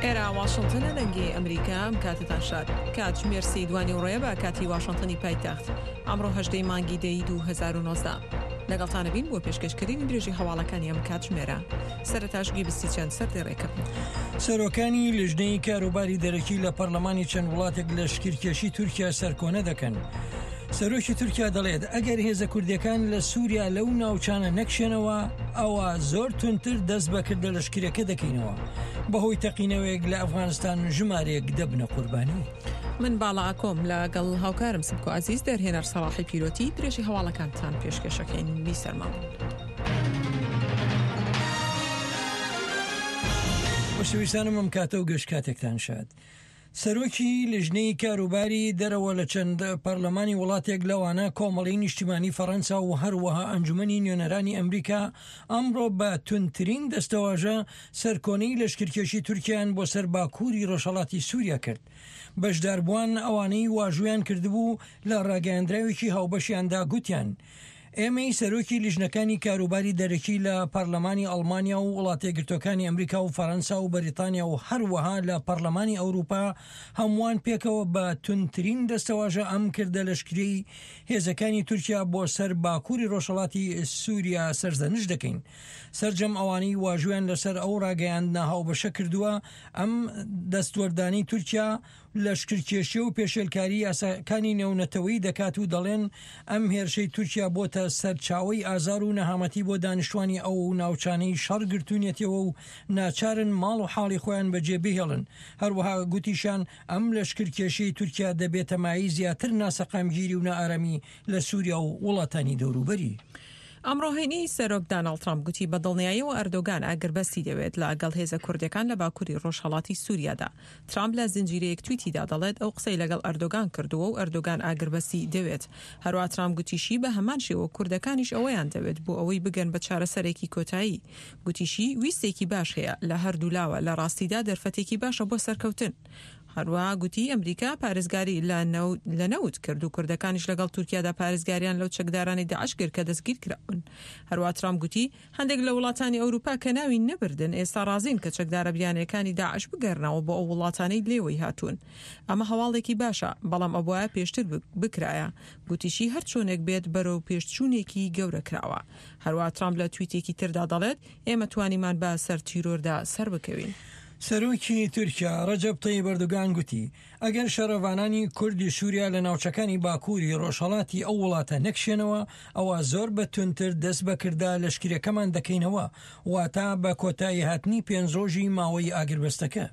ئێرە واشنتنە دەنگی ئەمریکا ئەم کاتتان شاد کاتژمێر سی دوانی ڕێ بە کاتی واشنتنی پایتەخت ئەمڕۆ هەژدەی مانگی دەی 2019 لەگەڵتانە بین بۆ پێشکەشکردنی درێژی هەواڵەکانی ئەم کاتژمێرە سەرەتاش گوێبیستی چەند سەردێڕێکە بن. سەرۆکانی لیژنەی کاروباری دەرەکی لە پەرلەمانی چەند وڵاتێک لەشکرکێشی تورکیا سەرکۆنە دەکەن. سەرۆکی تورکیا دەڵێت ئەگەر هێزە کوردیەکان لە سووریا لەو ناوچانە نەکشێنەوە ئەوە زۆر توندتر دەست بە کردە لەشکرەکە دەکەینەوە. بەهۆی تەقینەوەیەک لە ئەفغانستان ژمارەیەک دەبنە قوربانی. من باڵا ئاکۆم لە گەڵ هاوکارم سمکۆ عەزیز دەرهێنەر سەڵاحی پیرۆتی درێژی هەواڵەکانتان پێشکەشەکەین بیسەرمان بن. خۆشەویستانم ئەم کاتە و گشت کاتێکتان شاد. سەرۆکی لیژنەی کاروباری دەرەوە لە چەند پەرلەمانی وڵاتێک لەوانە کۆمەڵی نیشتیمانی فەڕەنسا و هەروەها ئەنجومەنی نوێنەرانی ئەمریکا ئەمڕۆ بە توندترین دەستەواژە سەرکۆنەی لەشکرکێشی تورکیان بۆ سەر باکووری ڕۆژهەڵاتی سووریا کرد. بەشداربووان ئەوانەی واژوویان کردبوو لە ڕاگەیاندراوێکی هاوبەشیاندا گوتیان ئێمەی سەرۆکی لیژنەکانی کاروباری دەرەکی لە پەرلەمانی ئەڵمانیا و وڵاتەیەکگرتووەکانی ئەمریکا و فەرەنسا و بەریتانیا و هەروەها لە پەرلەمانی ئەوروپا هەمووان پێکەوە بە توندترین دەستەواژە ئەم کردە لەشکریەی هێزەکانی تورکیا بۆ سەر باکووری ڕۆژهەڵاتی سووریا سەرزەنشت دەکەین. سەرجەم ئەوانەی واژوویان لەسەر ئەو ڕاگەیاندنە هاوبەشە کردووە ئەم دەستوەردانەی تورکیا لەشکرکێشی و پێشێلکاری یاساکانی نێونەتەوەیی دەکات و دەڵێن ئەم هێرشەی تورکیا بۆتە سەرچاوەی ئازار و نەهامەتی بۆ دانیشتوانی ئەو ناوچانەی شەڕ گرتوونیەتەوە و ناچارن ماڵ و حاڵی خۆیان بەجێ بهێڵن. هەروەها گوتیشیان ئەم لەشکرکێشیەی تورکیا دەبێتە مایەی زیاتر ناسەقامگیری و نائارامی لە سوریا و وڵاتانی دەوروبەری. ئەمڕۆ هەینی، سەرۆک داناڵد ترامپ گوتی بە دڵنیاییەوە ئەردۆگان ئاگربەستی دەوێت لە گەڵ هێزە کوردەکان لە باکوری ڕۆژهەڵاتی سوریادا. ترامپ لە زنجیرەیەک تویتیدا دەڵێت ئەو قسەی لەگەڵ ئەردۆگان کردووە و ئەردۆگان ئاگربەستی دەوێت. هەروەها ترامپ گوتیشی بە هەمان شێوە کوردەکانیش ئەوەیان دەوێت بۆ ئەوەی بگەن بە چارەسەرێکی کۆتایی. گوتیشی ویستێکی باش هەیە لە هەردوولاوە لە ڕاستیدا دەرفەتێکی باشە بۆ سەرکەوتن. هەروەها گوتی ئەمریکا پارێزگاری لە لە نەوت کرد و کوردەکانیش لەگەڵ تورکیادا پارێزگاریان لەو چەکدارانەی داعش کرد کە دەستگیرکراون. هەروەها ترامپ گوتی هەندێک لە وڵاتانی ئەوروپا کە ناوی نەبردن ئێستا ڕازین کە چەکدارە بیانیەکانی داعش بگەرنەوە بۆ ئەو وڵاتانەی لێوەی هاتوون. ئەمە هەواڵێکی باشە، بەڵام ئەبوایە پێشتر بکرایە. گوتیشی هەر چۆنێک بێت بەرەو پێشچوونێکی گەورە کراوە. هەروەها ترامپ لە تویتێکی تردا دەڵێت ئێمە توانیمان بە سەر تیرۆردا سەربکەوین. سەرۆکی تورکیا ڕەجەب تەیب ئەردۆگان گوتی، ئەگەر شەڕڤانانی کوردی سووریا لە ناوچەکانی باکووری ڕۆژهەڵاتی ئەو وڵاتە نەکشێنەوە، ئەوا زۆر بە توندتر دەست بە کردە لەشکرەکەمان دەکەینەوە، واتە بە کۆتاییهاتنی پێنج ڕۆژی ماوەی ئاگربەستەکە.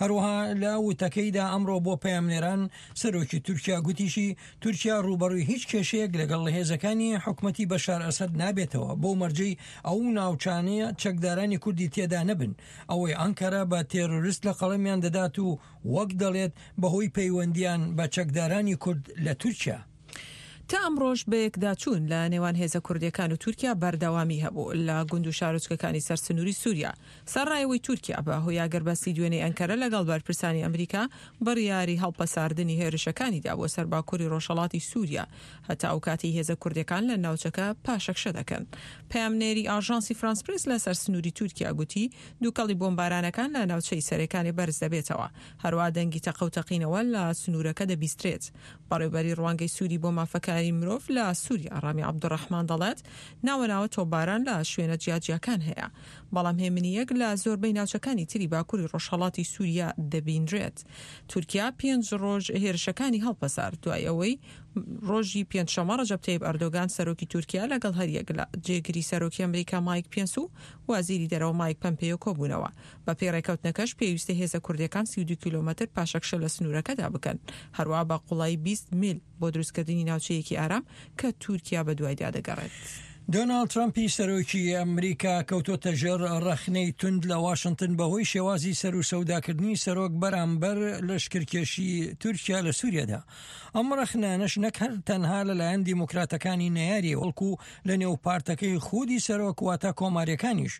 هەروەها لە وتەکەیدا ئەمڕۆ بۆ پەیامنێران، سەرۆکی تورکیا گوتیشی، تورکیا ڕووبەڕووی هیچ کێشەیەک لەگەڵ هێزەکانی حکومەتی بەشار ئەسەد نابێتەوە، بەو مەرجەی ئەو ناوچانەیە چەکدارانی کوردی تێدا نەبن، ئەوەی ئەنکەرە بە تێرۆرست لە قەڵەمیان دەدات و وەک دەڵێت بەهۆی پەیوەندییان بە چەکدارانی کورد لە تورکیا. تا ئەمڕۆش بەیەکداچوون لە نێوان هێزە کوردییەکان و تورکیا بەردەوامی هەبوو لە گوند و شارۆچکەکانی سەر سنووری سووریا. سەرڕای ئەوەی تورکیا بە هۆی ئاگربەستی دوێنێی ئەنکەرە لەگەڵ بەرپرسانی ئەمریکا بڕیاری هەڵپەساردنی هێرشەکانی دا بۆ سەر باکووری ڕۆژهەڵاتی سووریا هەتا ئەو کاتەی هێزە کوردییەکان لە ناوچەکە پاشەکشە دەکەن. پەیامنێری ئاژانسی فرانس پرێس لە سەر سنووری تورکیا گوتی، دووکەڵی بۆمبارانەکان لە ناوچەی سەرێکانێ بەرز دەبێتەوە. هەروەها دەنگی تەقە و تەقینەوە لە سنوورەکە دەبیسترێت. بەڕێوبەری ڕوانگەی سووری بۆ مافەکانی مرۆڤ لە سووریا، ڕامی عەبدولڕەحمان دەڵێت، ناوە ناوە تۆپباران لە شوێنە جیاجیاکان هەیە، بەڵام هێمنییەک لە زۆربەی ناوچەکانی تری باکووری ڕۆژهەڵاتی سووریا دەبینرێت. تورکیا پێنج ڕۆژ هێرشەکانی هەڵپەسارد دوای ئەوەی ڕۆژی پێنجشەممە ڕەجەب تەیب ئەردۆگان سەرۆکی تورکیا لەگەڵ هەریەک لە جێگری سەرۆکی ئەمریکا مایک پێنس و وەزیری دەرەوە مایک پەمپێیۆ کۆبوونەوە. بەپێی ڕێکەوتنەکەش پێویستە هێزە کوردیەکان 32 کیلۆمەتر پاشەکشە لە سنوورەکەدا بکەن، هەروا بە قوڵایی 20 میل بۆ دروستکردنی ناوچەیەکی ئارام کە تورکیا بەدوایدا دەگەڕێت. دۆناڵد ترەمپی سەرۆکی ئەمریکا کەوتۆتە ژێر ڕەخنەی توند لە واشنتن بەهۆی شێوازی سەروسەوداکردنی سەرۆک بەرامبەر لەشکرکێشی تورکیا لە سوریادا. ئەم ڕەخنانەش نەک هەر تەنها لەلایەن دیموکراتەکانی نەیاری بەڵکو لە نێو پارتەکەی خودی سەرۆک واتە کۆماریەکانیش.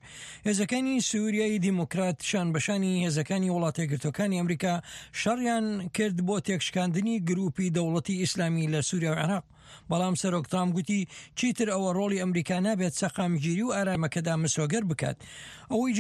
هێزەکانی سوریای دیموکرات شانبەشانی هێزەکانی وڵاتەیەکگرتووەکانی ئەمریکا شەڕیان کرد بۆ تێکشکاندنی گروپی دەوڵەتی ئیسلامی لە سوریا و عێراق. بەڵام سەرۆک ترامپ گوتی چیتر ئەوە ڕۆڵی ئەمریکا نابێت سەقامگیری و ئارامەکەدا مسۆگەر بکات. ئەوەی.